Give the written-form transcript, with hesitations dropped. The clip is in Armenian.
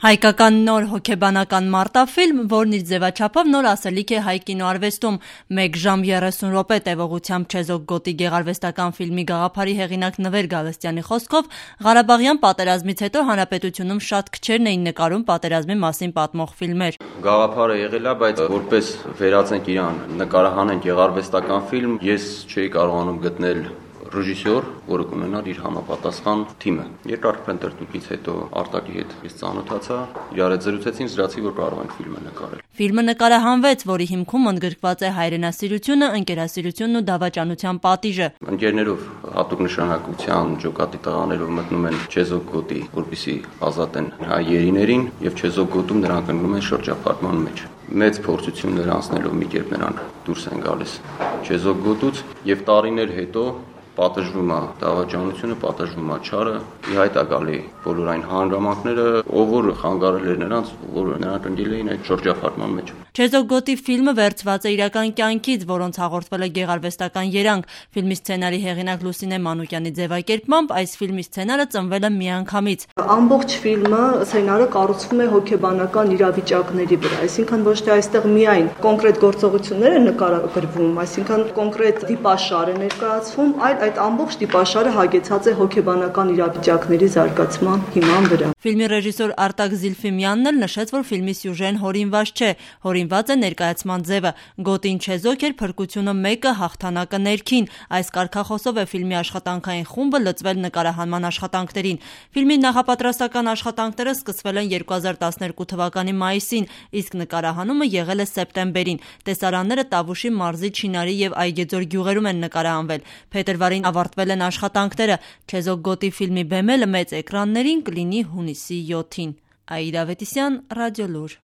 Հայկական նոր հոգեբանական մարտաֆիլմ, որն իր ձևաչափով նոր ասելիք է հայ կինոարվեստում, 1 ժամ 30 րոպե տևողությամբ Չեզոք գոտի գեղարվեստական ֆիլմի գաղափարի հեղինակ Նվեր Գալստյանի խոսքով, Ղարաբաղյան պատերազմից հետո հանրապետությունում շատ քչերն էին նկարում պատերազմի մասին պատմող ֆիլմեր։ Գաղափարը եղել է, բայց որպես վերածենք իրան, նկարահանենք գեղարվեստական ֆիլմ, ես չէի կարողանում գտնել ռեժիսոր, որը կունենար իր համապատասխան թիմը։ Երկար փնտրտուքից հետո Արտակի հետ ես ծանոթացա, իրար հետ զրուցեցինք, զրացի, որ կարող ենք ֆիլմը նկարել։ Ֆիլմը նկարահանվեց, որի հիմքում ընդգրկված է հայրենասիրությունը, ընկերասիրությունն ու դավաճանության պատիժը։ Ընկերներով հատուկ նշանակության ջոկատի տղաներով մտնում են Չեզոք գոտի, որպեսզի ազատեն հայ երիներին, եւ Չեզոք գոտում նրանք ընկնում են շրջափակման մեջ։ Մեծ փորձություններ անցնելով մի կերպ նրանք դուրս են գալիս Չեզոք գոտուց եւ տարիներ հետո պատժվում է դավաճանությունը, պատժվում է չարը, ի հայտ է գալի բոլոր այն հանգամանքները, ով որ խանգարել էր նրանց, որ նրանք ընկել էին այդ շրջափակման մեջ։ Չեզոք գոտի ֆիլմը վերցված է իրական կյանքից, որոնց հաղորդվել է գեղարվեստական երանգ։ Ֆիլմի սցենարի հեղինակ Լուսինե Մանուկյանի ձևակերպմամբ այս ֆիլմի սցենարը ծնվել է միանգամից։ Ամբողջ ֆիլմը սցենարը կառուցվում է հոգեբանական իրավիճակների վրա, այսինքն ոչ թե այստեղ միայն կոնկրետ գործողություններ են նկարագրվում, այսինքն կոնկրետ դիպաշար է ներկայացվում, այլ այդ ամբողջ դիպաշարը հագեցած է հոգեբանական իրավիճակների զարգացման հիման վրա։ Ֆիլմի ռեժիսոր Արտակ Զիլֆիմյանն էլ նշեց, որ ֆիլմի սյուժեն հորինված չէ, հորինված է ներկայացման ձևը։ Գոտին Չեզոք էր, փրկությունը մեկը, հաղթանակը ներքին։ Այս կարգախոսով է ֆիլմի աշխատանքային խումբը լծվել նկարահանման աշխատանքներին։ Ֆիլմի նախապատրաստական աշխատանքները սկսվել են 2012 թվականի մայիսին, իսկ նկարահանումը եղել է սեպտեմբերին։ Տեսարանները Տավուշի մարզի Չինարի եւ Այգեձոր գյուղերում են նկարահանվել։ Փետրվարին ավարտվել են աշխատանքները։ Չեզոք գոտի ֆիլմի բեմելը մեծ էկրաններին կլինի հունիսի 7-ին։ Աիդա Ավետիսյան, Ռադիոլուր։